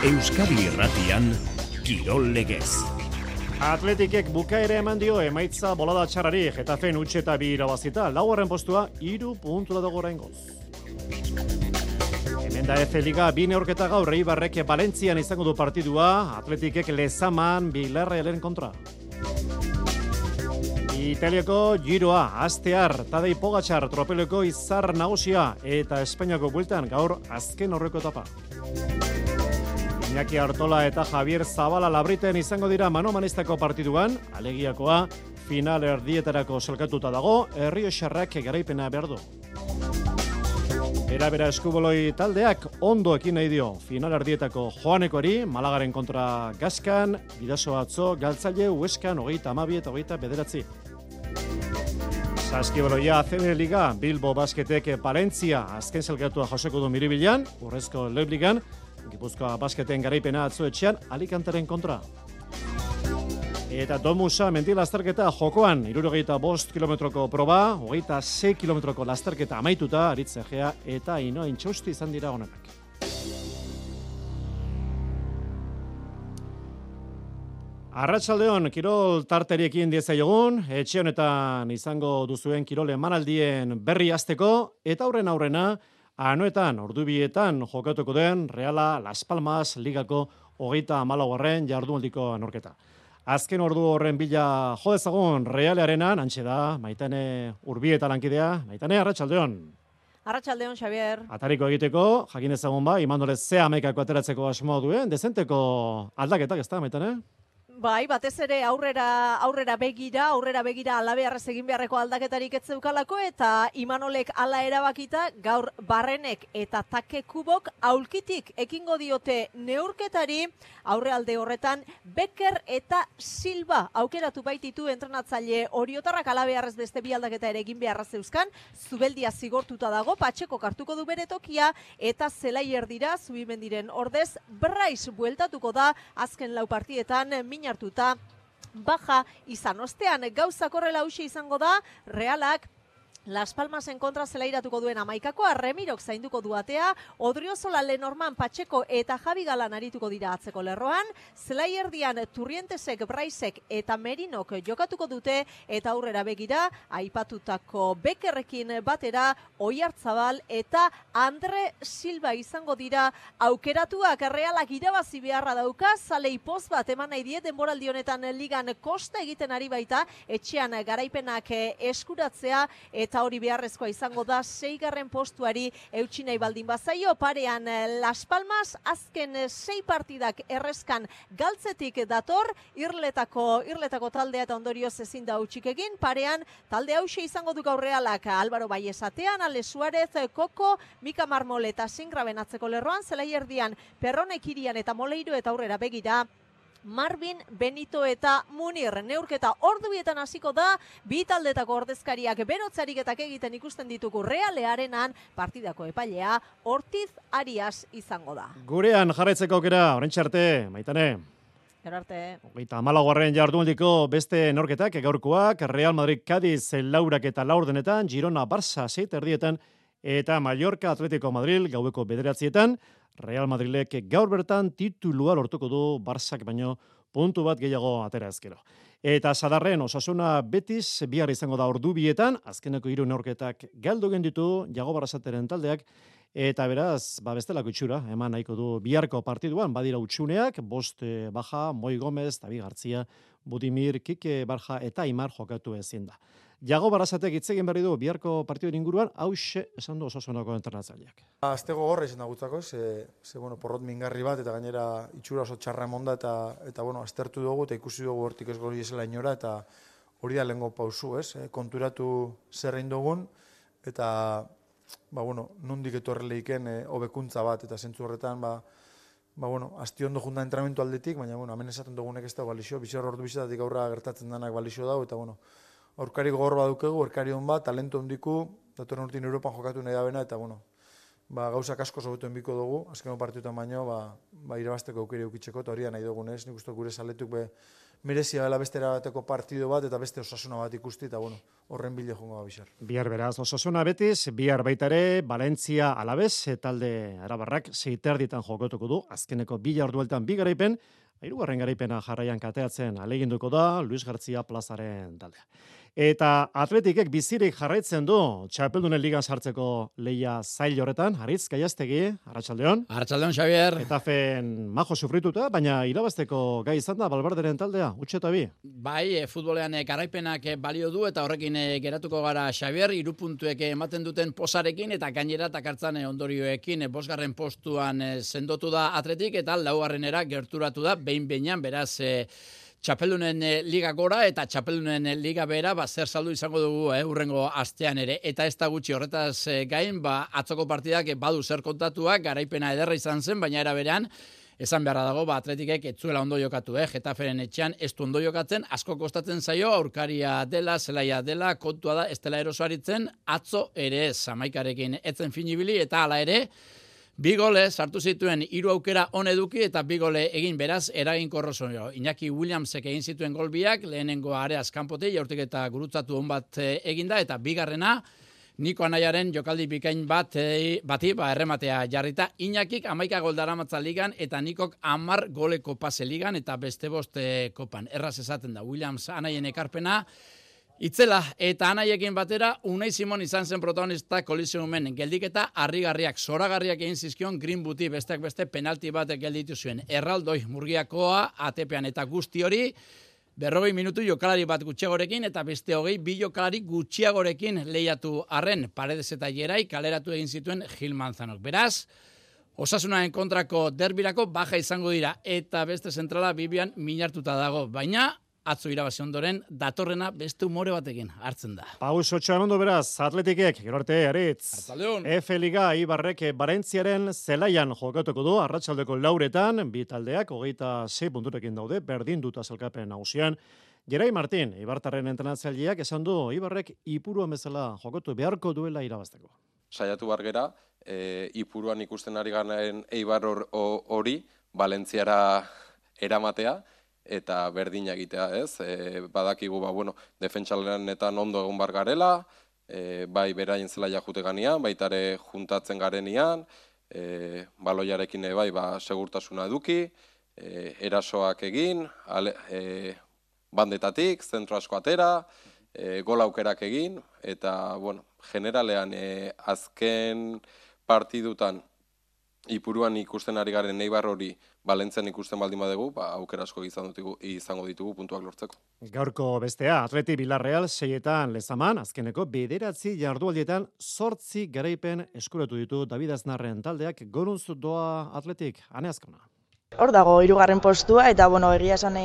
Euskadi Irratian, Kirol Legez. Atletikek bukaera eman dio emaitza bolada txarrari, Getafen utxe eta 2 irabazita, laugarren postua 3 puntura dago oraingoz. Hemen da F Liga 2 neurketa gaur Eibarrek Valentzian izango du partidua, Atletikek Lezaman Villarrealen kontra. Italiako Giroa, Astear, Tadej Pogačar, tropeleko izar nagusia eta Espainiako bueltan gaur azken horreko etapa. Iñaki Artola eta Javier Zabala Labriten izango dira mano-manistako partiduan, alegiakoa final erdietarako salkatuta dago, Errioxarrak garaipena behar du. Bera eskuboloi taldeak ondo ekin nahi dio final erdietako Joanekoari, Malagaren kontra Gaskan, Bidaso atzo, Galtzaile, Hueskan, 32 eta 29. Saskiboloia ACB Liga, Bilbo Basketek Palentzia, azken salkatua joseko du Miribilan, Urrezko Lebligan, Gipuzkoa Basketen garaipena atzoetxean, Alicanteren kontra. Eta Domusa mendi lasterketa jokoan, 75 kilometroko proba, 26 kilometroko lasterketa amaituta, Aritz Egea eta Inoa Intxausti izan dira honenak. Arratsaldeon, kirol tarteriekin diezaiogun, etxe honetan izango duzuen kirol emanaldien berri hasteko, eta aurrena, anoetan, ordubietan jokatuko den Reala Las Palmas ligako 34. jardunaldiko anorketa. Azken ordu horren bila jo dezagun Realearenan, hantxe da, Maitane Urbieta lankidea. Maitane, arratsaldeon. Arratsaldeon, Xavier. Atariko egiteko, jakin ezagun ba, Imandole ze amaikako ateratzeko asmoa duen, dezenteko aldaketak ez da, Maitane? Bai, batez ere aurrera begira alabearrez egin beharreko aldaketarik ez zeukalako eta Imanolek hala erabakita gaur Barrenek eta Take Kubok aulkitik ekingo diote neurketari, aurrealde horretan Becker eta Silva aukeratu baititu entrenatzaile Oriotarrak alabearrez beste 2 aldaketa ere egin beharra zeuzkan, Zubeldia zigortuta dago, Patxeko kartuko du bere tokia eta Zelaier dira Zubimendiren ordez Brais bueltatuko da azken 4 partietan hartuta baja izan ostean gauzak horrela hauxe izango da, Realak Las Palmasen kontra zelairatuko duen amaikakoa, Remirok zainduko duatea, Odriozola Lenorman Patxeko eta Javi Galan arituko dira atzeko lerroan, Zelaierdian Turrientesek, Braisek eta Merinok jokatuko dute, eta aurrera begira, aipatutako Bekerrekin batera, Oiartzabal eta Andre Silva izango dira aukeratuak. Realak irabazi beharra dauka, zalei poz bat eman nahi die denboraldi honetan ligan kosta egiten ari baita, etxean garaipenak eskuratzea, eta hori beharrezkoa izango da 6. postuari eutsi nahi baldin bazaio, parean Las Palmas azken 6 partidak errezkan galtzetik dator, irletako taldea eta ondorioz ezin da hutsik egin, parean talde hauxe izango du gaur Realak, Álvaro Baiesatean, Ale Suárez, Koko, Mika Marmol eta Singraben atzeko lerroan, Zelaierdian Perronek Irian eta Moleiro eta aurrera begira, Marvin, Benito eta Munir. Neurketa ordubietan hasiko da, 2 taldetako ordezkariak berotzariketak egiten ikusten ditugu Realearenan, partidako epailea Ortiz Arias izango da. Gurean jarraitzeko aukera, oraintxe arte, Maitane. Gero arte. 34. jardunaldiko beste norketak, gaurkoak, Real Madrid Cádiz laurak eta laurdenetan, Girona Barça 7:30 eta Mallorca Atletico Madrid gaueko 9:00, Real Madrilek gaur bertan titulua lortuko du Barçak baino puntu bat gehiago atera ezkero. Eta Sadarren Osasuna Betis bihar izango da ordubietan, azkeneko 3 neurketak galdu genditu Jago Barrasateren taldeak, eta beraz, bestelako itxura, eman nahiko du biharko partiduan, badira utxuneak, 5 Baja, Moi Gomez, David Gartzia, Budimir, Kike Barja eta Aimar jokatu ezin da. Jago Barrasatek hitz egin berri du biharko partiduen inguruan, hauxe esan du Osasunako entrenatzaileak. Aztego gorra izan da gutzako, porrot mingarri bat, eta gainera itxura oso txarra emonda, eta aztertu dugu, eta ikusi dugu hortik ez gori esela inora, eta hori da lehengo pausu, konturatu zerrein dugun, eta nondik etorreleiken hobekuntza bat, eta zentzu horretan, asti ondo junta entrenamentu aldetik, baina, hemen esaten dugunek ez da balixo, bizar ordu bizitatik aurra gertatzen denak balixo dago, eta, aurkari gogor badukegu, aurkari hon bat, talento hondiku, datorren urtin Europan jokatu nahi da bena, eta, gauzak asko sobetu enbiko dugu, azkeno partiutan baino, irabazteko aukeri eukitzeko, eta hori da nahi dugunez, nik uste gure saletuk merezia dela beste erabateko partido bat eta beste Osasuna bat ikusti, eta bueno, horren bile jongo bizar. Bihar beraz, Osasuna Betis, bihar baita ere, Valencia Alavés, talde arabarrak 6:30 jokatuko du, azkeneko 2 jardueltan 2 garaipen, 3. garaipena jarraian kateatzen aleginduko da Luis García plazaren taldea. Eta Atletikek bizirik jarraitzen du Txapeldunen ligan sartzeko leia zail horretan, Haritz Gaiaztegi, Arratsaldeon. Arratsaldeon, Xavier. Etafen majo sufrituta, baina irabazteko gai izan da Valverderen taldea, utxeta bi. Bai, futbolean garaipenak balio du eta horrekin geratuko gara, Xavier, 3 puntuek ematen duten posarekin eta gainera takartzan ondorioekin 5. postuan sendotu da Atletik eta 4. gerturatu da behin-behinan, beraz Txapeldunen liga gora eta Txapeldunen liga bera, zer saldu izango dugu hurrengo astean ere. Eta ez da gutxi horretaz gain, atzoko partidak badu zer kontatuak, garaipena ederra izan zen, baina era berean, esan beharra dago, Atletikek ez zuela ondo jokatu, Getaferen etxean ez du ondo jokatzen, asko kostatzen zaio, aurkaria dela, zelaia dela, kontua da, ez dela erosoaritzen, atzo ere ez, Amaikarekin etzen finibili, eta hala ere, 2 gole sartu zituen 3 aukera on eduki eta 2 gole egin beraz eraginkorro zuen. Iñaki Williamsek egin zituen gol biak, lehenengoa areaz kanpotik, jaurtik eta gurutzatu on bat eginda, eta 2. Niko Anaiaren jokaldi bikain bati errematea jarrita. Iñakik 11 gol daramatza ligan eta Nikok 10 goleko pase ligan eta beste 5 kopan. Erraz esaten da Williams Anaien ekarpena, itzela eta Anaiekin batera Unai Simon izan zen protagonista kolizionumen geldiketa harrigarriak, zoragarriak egin zizkion Greenwoodi besteak beste penalti bat gelditu zuen. Erraldoi Murgiakoa ATPan eta guzti hori 40 minutu jokalari bat gutxiagorekin eta beste 2 jokalari gutxiagorekin lehiatu arren, Paredes eta Gerai kaleratu egin zituen Gil Manzanok. Beraz, Osasunaren kontrako derbirako baja izango dira eta beste zentrala Bibian minartuta dago, baina atzo irabazi ondoren, datorrena beste umore batekin hartzen da. Paus 8 ondo beraz, Atletikek, gero arte, Aritz. Arratsaldeon. F-Liga Ibarrek Valentziaren zelaian jokatuko du, arratsaldeko 4etan, 2 taldeak, 26 punturekin daude, berdin duta zelkapen nagusian. Gerai Martin, Ibartarren entrenatzaileak esan du, Ibarrek Ipuruan bezala jokatu beharko duela irabazteko. Saiatu bargera, Ipuruan ikusten ari garen Eibar hori, Valentziara eramatea, eta berdina egitea, ez? Badakigu, defentsalenetan ondo egon bar garela, bai beraien zelaia jute ganean, baitare juntatzen garenian, baloiarekin bai, segurtasuna eduki, erasoak egin, bandetatik, zentro asko atera, gol aukerak egin, eta, generalean azken partidutan Ipuruan ikusten ari garen Eibar hori Valentzian ikusten baldin badegu, aukera asko izango ditugu puntuak lortzeko. Gaurko bestea, Atleti Villarreal 6etan Lezaman, azkeneko 9 jardualdietan 8 garaipen eskuratu ditu David Aznarren taldeak, gorunz doa Atletik, Ane Azkona. Hor dago 3. postua eta egia esan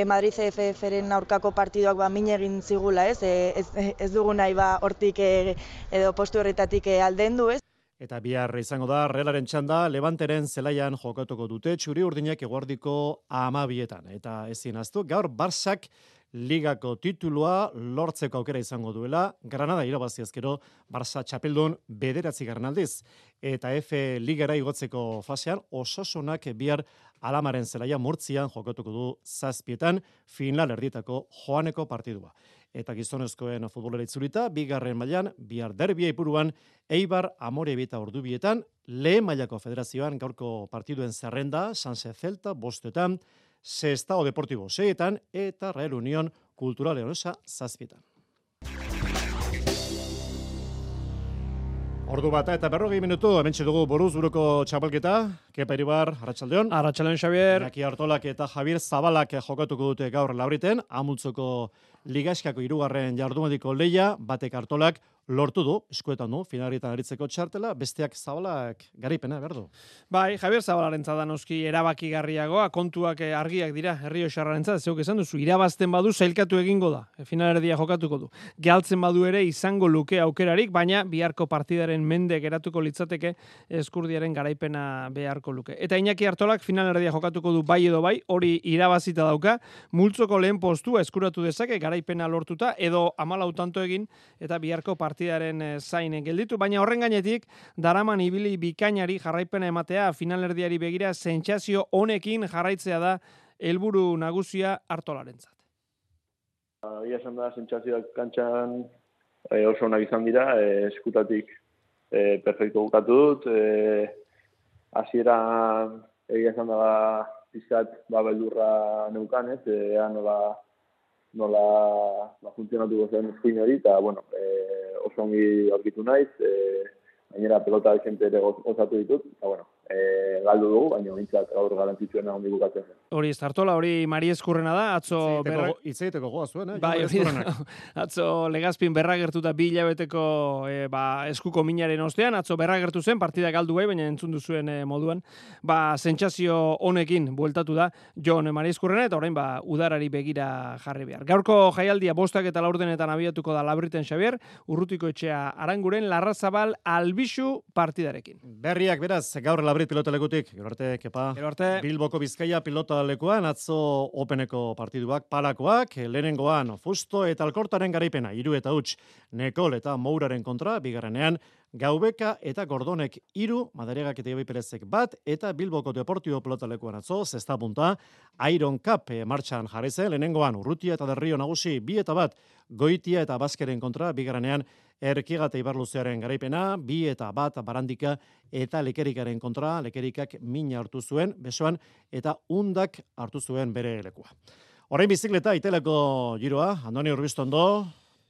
Madrid CFF-ren aurkako partiduak min egin zigula, ez dugu nahi hortik edo postu horretatik aldendu, ez? Eta bihar izango da Realaren txanda, Levanteren zelaian jokatuko dute, txuri urdinak eguardiko 12etan. Eta ezin aztu, gaur Barsak ligako titulua lortzeko aukera izango duela, Granada irabazi ezkero Barça txapeldun 9. aldiz. Eta F ligara igotzeko fasean, Osasunak bihar Alamaren zelaia Murtzian jokatuko du 7etan, final erdietako joaneko partidua. Eta gizonezkoen futbolera itzulita, 2. mailan, bihar derbia Ipuruan, Eibar Amorebita Ordubietan, lehen mailako federazioan gaurko partiduen zerrenda, Sanse Celta 5etan, Sestao Deportivo 6etan, eta Real Unión Cultural Leonesa 7etan. Ordu bata eta 40 minutu, hementxe dugu buruz buruko txapelketa, Kepa Iribar, Arratsaldeon. Arratsaldeon, Xavier. Iñaki Artolak eta Javier Zabalak jokatuko dute gaur lauriten, Amultzoko Ligaskako 3. jardunaldiko leia, batek Artolak lortu du, eskuetan du, finalietan aritzeko txartela, besteak Zabalak garipena, berdu. Bai, Javier Zabalarentza da noski erabakigarriagoa, kontuak argiak dira, Errioxarrarentzat, zeuk esan duzu, irabazten badu sailkatu egingo da, finalerdia jokatuko du. Galtzen badu ere izango luke aukerarik, baina biharko partidaren mende geratuko litzateke Eskurdiaren garaipena beharko luke. Eta Iñaki Artolak finalerdia jokatuko du bai edo bai, hori irabazita dauka, multzoko lehen postua eskuratu dezake, garaipena lortuta, edo 14 tanto egin, eta biharko partidaren zain gelditu, baina horren gainetik, daraman ibili bikainari jarraipena ematea, finalerdiari begira, sentsazio honekin jarraitzea da helburu nagusia Artolarentzat. Ia esan da, sentsazioak kantxan oso onak izan dira, eskutatik perfecto bukatu dut, hasieran egia esan da pizkat beldurra neukan, ea nola funtzionatuko zen eskuin hori, eta oso ongi aurkitu naiz, gainera pelota gente ere osatu ditut, eta galdu dugu, baina bintzat gaur garantzitzuena ondi bukatzen zen. Hori ez Artola, hori Mari Eskurrena da, atzo... Hitz egiteko goa zuen, Bai, atzo Legazpin berragertuta 2 hilabeteko eskuko minaren ostean, atzo berragertu zen, partida galdu bai, baina entzun duzuen moduan, sentsazio honekin bueltatu da Jon Mari Eskurrena, eta orain udarari begira jarri behar. Gaurko jaialdia 5 eta 4 abiatuko da Labriten Xabier, Urrutiko Etxea Aranguren, Larrazabal Albixu partidarekin. Berriak beraz, gaur Labrit pilotalekutik, gero arte, kepa. Gero arte. Bilboko Bizkaia pilotalekuan, atzo Openeko partiduak, palakoak, lehenengoan Fusto eta Alkortaren garaipena, 3 eta 0, Nekol eta Mouraren kontra, bigarrenean, Gaubeka eta Gordonek 3, Madariagak eta Ibai Perezek 1, eta Bilboko Deportibo pilotalekuan atzo, 6. punta, Iron Cup martxan jarri zen, lehenengoan Urrutia eta Derrio nagusi 2 eta 1, Goitia eta Baskeren kontra, bigarrenean Erkiga eta Ibarluzearen garaipena, 2 eta 1 Barandika eta Lekerikaren kontra, Lekerikak mina hartu zuen, besoan, eta Undak hartu zuen bere lekua. Orain bizikleta, iteleko giroa, Andoni Urbistondo,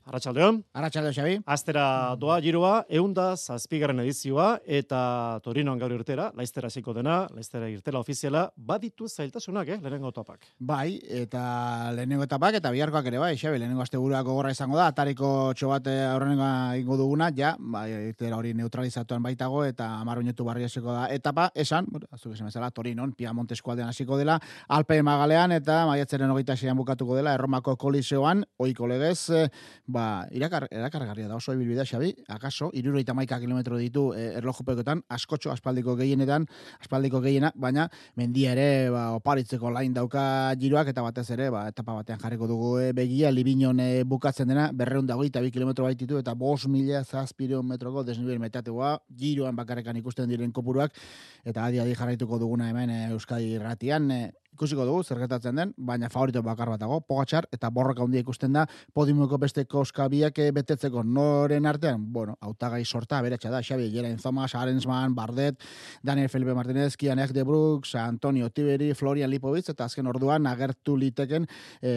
Arratsaldeon. Arratsaldeon, Xabi. Astera doa giroa, 107. edizioa, eta Torinoan gaur irtera, Laiztera hasiko dena, Laiztera irtela ofiziala, baditu zailtasunak, lehenengo etapak. Bai, eta lehenengo etapak, eta biharkoak ere bai, Xabi, lehenengo asteburuak gogorra izango da, atariko txobat aurrenengoa ingo duguna, irtera hori neutralizatuan baitago, eta 10 minutu barri hasiko da etapa, esan, azuk esan bezala, Torinon, Piamonte eskualdean hasiko dela, Alpe Magalean, eta maiatzaren 26an bukatuko dela, Erromako Koliseoan, ohiko legez, erakargarria da oso ibilbidea, Xabi, akaso, 71 kilometro ditu erlojupekoetan, askotxo, aspaldiko gehiena, baina mendia ere oparitzeko lain dauka giroak, eta batez ere, etapa batean jarriko dugu begia, Libinon bukatzen dena, 222 kilometro baititu, eta 5.000 metroko desnivel metategoa, giroan bakarrekan ikusten diren kopuruak, eta adi jarraituko duguna hemen Euskadi Irratian, ikusiko dugu, zer gertatzen den, baina favorito bakar bat dago, Pogačar, eta borroka handia ikusten da, podiumeko beste koskabiak betetzeko noren artean, hautagai sorta, beratxa da, Xabi, Geraint Thomas, Arensman, Bardet, Daniel Felipe Martinez, Kianek de Brooks, Antonio Tiberi, Florian Lipovitz, eta azken orduan agertu liteken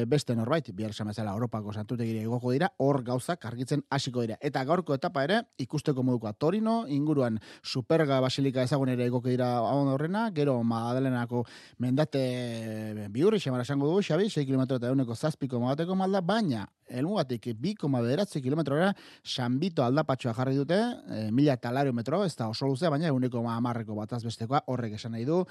beste norbait, bihar esan bezala Europako santutegira igoko dira, hor gauzak argitzen hasiko dira. Eta gaurko etapa ere, ikusteko modukoa Torino, inguruan Superga Basilika ezagun ere igoko dira horrena, gero Madalenako mendate biurri xamara esango dugu, Xabi, 6 km eta 1.7 bateko malda, baina helmugatik 2,9 kilometrora San Vito aldapatxoa jarri dute, 1.000 metro, ez da oso luzea, baina 1,10 bataz bestekoa, horrek esan nahi du,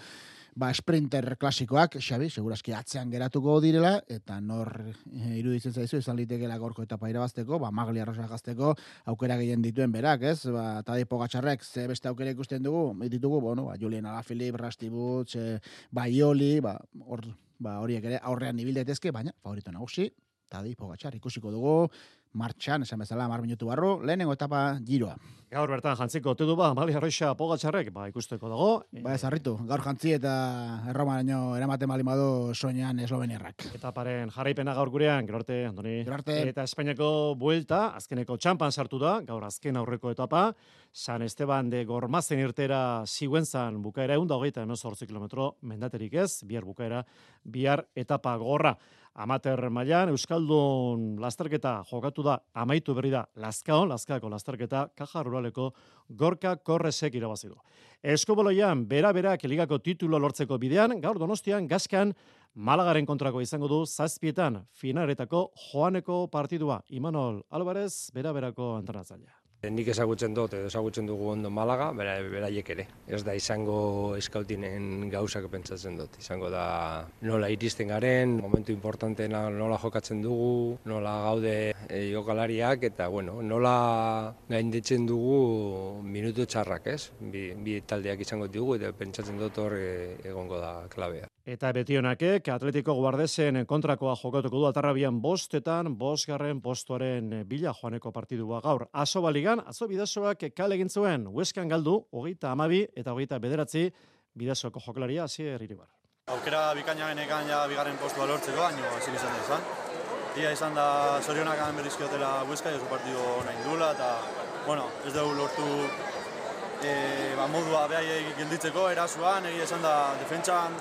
sprinter klasikoak, Xabi, segurazki atzean geratuko direla, eta nor iruditzen zaizu, izan litekela gorko etapa irabazteko, Magli Arrosa gazteko, aukera gehien dituen berak, ez? Tadej Pogačarrek ze beste aukera ikusten ditugu, Julian Alaphilippe, Rusty Butz, Baioli, horiek ere aurrean ibil daitezke, baina favorito nagusi, Tadej Pogačar ikusiko dugu, martxan, esan bezala, 10 minutu barru, lehenengo etapa giroa. Gaur bertan jantziko ote du Magli Arrosa Pogačarrek, ikusteko dago. Ez harritu, gaur jantzi eta Erromaraino eramaten bali madu soinean esloveniarrak. Etaparen jarraipena gaur gurean, gero arte, Andoni. Gero arte. Eta Espainiako buelta, azkeneko txampan sartu da, gaur azken aurreko etapa, San Esteban de Gormazen irtera Sigüenzan bukaera 128 kilometro mendaterik ez, bihar bukaera, bihar etapa gorra. Amater mailan Euskaldun lasterketa jokatu da, amaitu berri da Lazkaoko lasterketa, Kaja Ruraleko Gorka Korresek irabazi du. Eskubaloian, bera-berak ligako titulo lortzeko bidean, gaur Donostian Gaskan Malagaren kontrako izango du 7etan finaletako joaneko partidua. Imanol Alvarez, bera-berako entrenatzailea. Nik ezagutzen dugu ondo Malaga, beraiek ere. Ez da izango eskautinen gauzak pentsatzen dut. Izango da nola iristen garen, momentu importanteena nola jokatzen dugu, nola gaude jokalariak, eta nola gainditzen dugu minutu txarrak, ez? Bi taldeak izango dugu, eta pentsatzen dut hor egongo da klabea. Eta Betionakek Atletico Guardesen kontrakoa jokatuko du Atarrabian 5etan, 5. postuaren bila joaneko partidua gaur. Asoba ligan, atzo Bidasoak kale egin zuen, Hueskan galdu, 32 eta 29, Bidasoako jokalaria Asier Iribar. Aukera bikaina genekan ja bigarren postua lortzeko, baina ezin izan izan. Ia izan da zorionak berizkiotela Huesca, oso partido nahi dula, eta ez dugu lortu modua behaiek gelditzeko, erasuan, egia esan da defentsan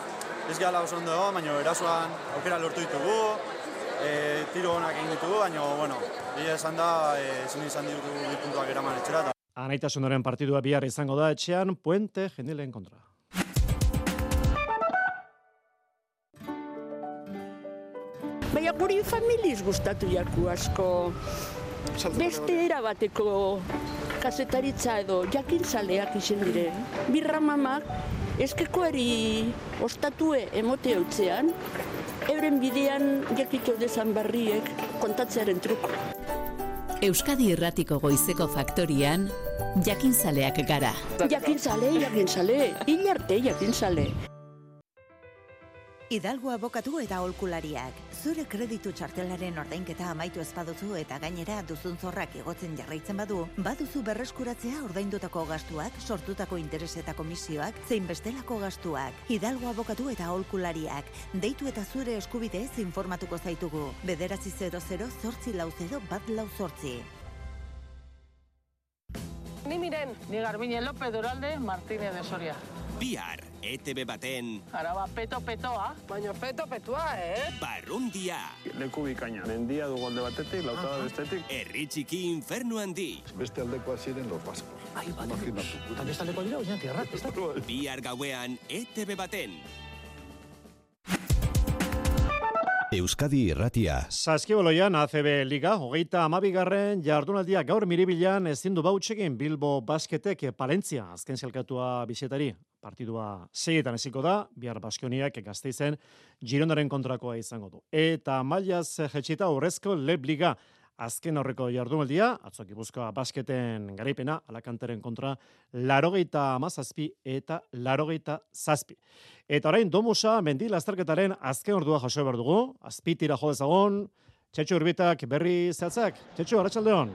ez gehala oso ondo egon, baina erasuan aukera lortu ditugu, tiro honak egin ditugu, baina egia esan da ezin izan ditugu bi puntuak eraman etxera. Anaitasunaren partidua bihar izango da etxean Puente Genilen kontra. Baina guri familiz gustatu jaku asko. Beste erabateko kazetaritza edo jakintzaleak izen dire. Birra mamak eskekoari ostatue emote hautzean, euren bidean jakito dezan barriek kontatzearen truko. Euskadi Irratiko Goizeko Faktorian, jakintzaleak gara. Jakintzale, hilarte jakintzale. Hidalgo abokatu eta aholkulariak. Zure kreditu txartelaren ordainketa amaitu ez baduzu eta gainera duzun zorrak igotzen jarraitzen baduzu berreskuratzea ordaindutako gastuak, sortutako interes eta komisioak, zein bestelako gastuak. Hidalgo abokatu eta aholkulariak. Deitu eta zure eskubideez informatuko zaitugu. 900-840-148. Ni Miren, ni Garbine López Duralde, Martínez de Soria. Bihar, ETV baten... Araba peto-petoa, baina peto-petoa, Barrundia. Leku bikaina, mendia dugu alde batetik, lautada bestetik. Herri txiki infernu handi. Beste aldekoa ziren los vascos. Imaginatu. Eta beste aldeko dira, oinak errat, Bihar gauean, ETV baten. Euskadi Irratia. Saskiboloian ACB Liga, 32. jardunaldia gaur Miribilan ezin du bautxegin Bilbo Basketek Palentzia azken zelkatua bizetari. Partidua 6etan hasiko da, bihar Baskoniak Gasteizen Girondaren kontrakoa izango du. Eta mailaz jetxita Urrezko Leb Liga azken horreko jardunaldia, atzo Gipuzkoa Basketen garaipena, Alakanteren kontra 87 eta 87. Eta orain Domusa mendi lasterketaren azken ordua jaso behar dugu, azpitira jo dezagon, Txetxo Urbitak berri zehatzak. Txetxo, arratsaldeon.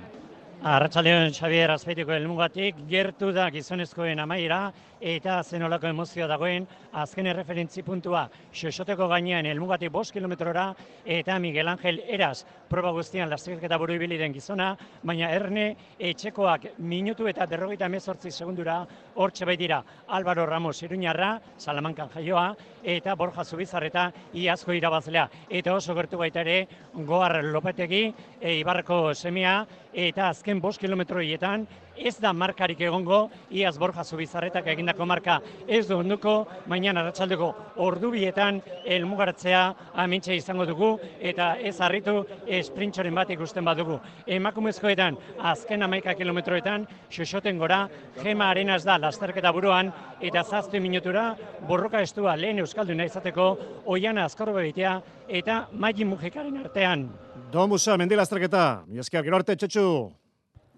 Arratsaldeon, Xabier, Azpeitiko helmugatik gertu da gizonezkoen amaiera eta zenolako emozioa dagoen azken erreferentzi puntua Xoxoteko gainean helmugatik 5 kilometrora eta Miguel Angel Eras proba guztian lasterketa buru ibili den gizona, baina Erne etxekoak minutu eta 58 segundura hortxe baitira Álvaro Ramos Iruñarra, Salamankan jaioa, eta Borja Zubizarreta iazko irabazlea. Eta oso gertu baita ere Goar Lopetegi, Ibarreko semea, eta azken 5 kilometroietan ez da markarik egongo, iaz Borja Zubizarretak egindako marka ez du onduko, baina arratsaldeko ordubietan helmugaratzea amintxe izango dugu, eta ez harritu sprintxoren bat ikusten badugu. Emakumezkoetan, azken 11 kilometroetan, Xoxoten gora, Gema Arenas da lasterketa buruan, eta 7 minutura borroka estua lehen euskalduna izateko, Oiana Azkorbegitea eta Maji Mujekaren artean. Domusa, mendi lasterketa. Miesker, gero arte, Txetxu.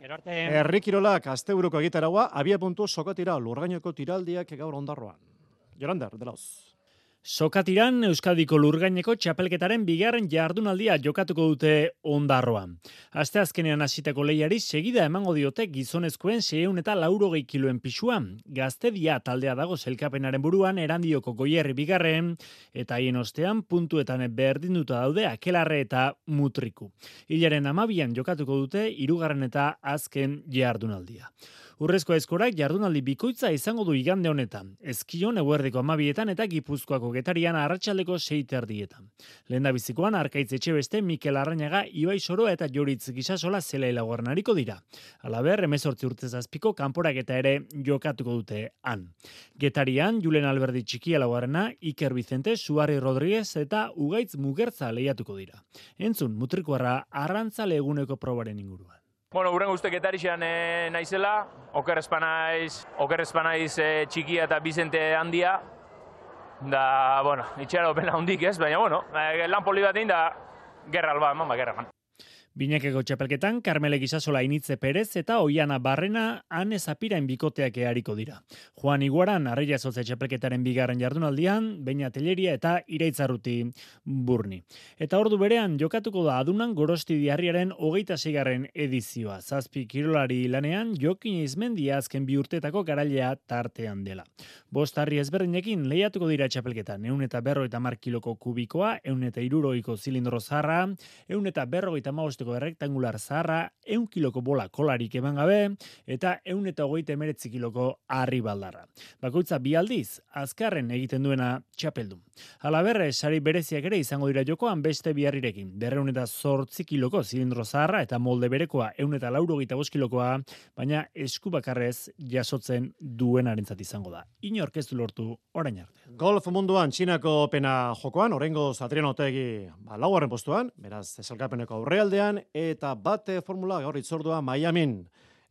Herri kirolak asteburuko egitaraua, abia puntu sokatira lurgainoko tiraldiak gaur ondarroan. Jorander, delauz. Sokatiran Euskadiko lurgaineko txapelketaren bigarren jardunaldia jokatuko dute ondarroan. Asteazkenean hasitako lehiari segida emango diote gizonezkoen 680 kiloen pisua. Gaztedia taldea dago sailkapenaren buruan Erandioko Goierri bigarren eta haien ostean puntuetan berdinduta daude Akelarre eta Mutriku. Hilaren 12an jokatuko dute 3. eta azken jardunaldia. Urrezko eskorak jardunaldi bikoitza izango du igande honetan. Ezkion eguerdiko 12etan eta Gipuzkoako Getarian arratsaldeko 6:30. Lehendabizikoan Arkaitz Etxebeste, Mikel Arrañaga, Ibai Soroa eta Joritz Gisasola zela laugarrenariko dira. Halaber, 18 urte zazpiko kanporaketa ere jokatuko dute han. Getarian Julen Alberdi Txikia laugarrena, Iker Vicente, Suarri Rodríguez eta Ugaitz Mugertza lehiatuko dira. Entzun, Mutrikuarra arrantzale eguneko probaren inguruan. Uren guzti Getarixean naizela, oker espanaiz Txikia eta Bizente handia, da, itxera opena hundik ez, baina, lan poli bat egin da, gerra alba, gerra man. Binakeko txapelketan, Karmele Gisasola Initze Perez eta Oiana Barrena Ane Zapirain bikoteak ehariko dira. Juan Iguaran Arraia Zotze txapelketaren bigarren jardunaldian, Beña Telleria eta Iraitzarruti Burni. Eta ordu berean jokatuko da adunan Gorosti Diarriaren 26. edizioa. 7 kirolari lanean Jokin Izmendia azken 2 urtetako garailea tartean dela. 5 harri ezberdinekin lehiatuko dira txapelketan. 150 kiloko kubikoa, 160ko zilindro zaharra, 150 errektangular zaharra, 100 kiloko bola kolarik eman gabe, eta 129 kiloko harri baldarra. Bakoitza 2 aldiz, azkarren egiten duena txapeldun. Halaber, sari bereziak ere izango dira jokoan beste 2 harrirekin. 208 kiloko zilindro zaharra eta molde berekoa 185 kilokoa, baina esku bakarrez jasotzen duenarentzat izango da. Inork ez du lortu orain arte. Golf munduan Txinako pena jokoan, oraingoz Adriano Otegi 4. postuan, beraz esalkapeneko aurrealdean, eta bate formula gaur itzordua Miamin.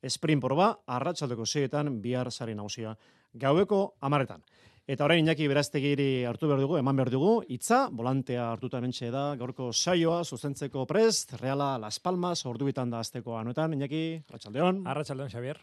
Sprint proba, arratsaldeko 6etan bihar sari nagusia gaueko 10etan. Eta orain Iñaki Beraztegiri hartu behar dugu, eman behar dugu, hitza, volantea hartuta mentxe da, gaurko saioa, zuzentzeko prest, Reala Las Palmas, ordubitan da azteko anuetan, Iñaki, arratsaldeon. Arratsaldeon, Xavier.